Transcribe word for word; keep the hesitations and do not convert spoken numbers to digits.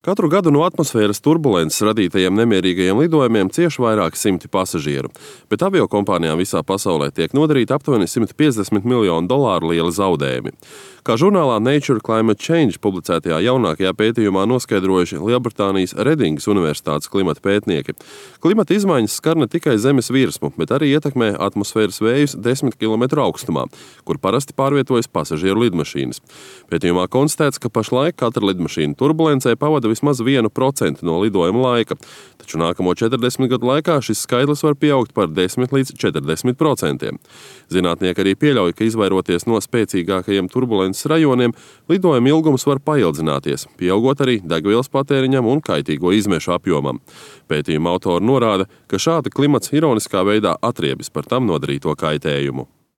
Katru gadu no atmosfēras turbulences radītajiem nemierīgajiem lidojumiem cieš vairāki simti pasažieru, bet aviokompānijām visā pasaulē tiek nodarīti aptuveni simt piecdesmit miljonu dolāru lieli zaudējumi. Kā žurnālā Nature Climate Change publicētajā jaunākajā pētījumā noskaidrojuši Lielbritānijas Redingas Universitātes klimata pētnieki, klimata izmaiņas skar ne tikai zemes virsmu, bet arī ietekmē atmosfēras vējus desmit kilometru augstumā, kur parasti pārvietojas pasažieru lidmašīnas. Pētījumā konstatēts, ka pašlaik katra lidmašīna turbulencē pavada vismaz vienu procentu no lidojuma laika, taču nākamo četrdesmit gadu laikā šis skaitlis var pieaugt par desmit līdz četrdesmit procentiem. Zinātnieki arī pieļauj, ka izvairoties no spēcīgākajiem turbulences rajoniem, lidojuma ilgums var paildzināties, pieaugot arī degvielas patēriņam un kaitīgo izmešu apjomam. Pētījuma autori norāda, ka šādi klimats ironiskā veidā atriebis par tam nodarīto kaitējumu.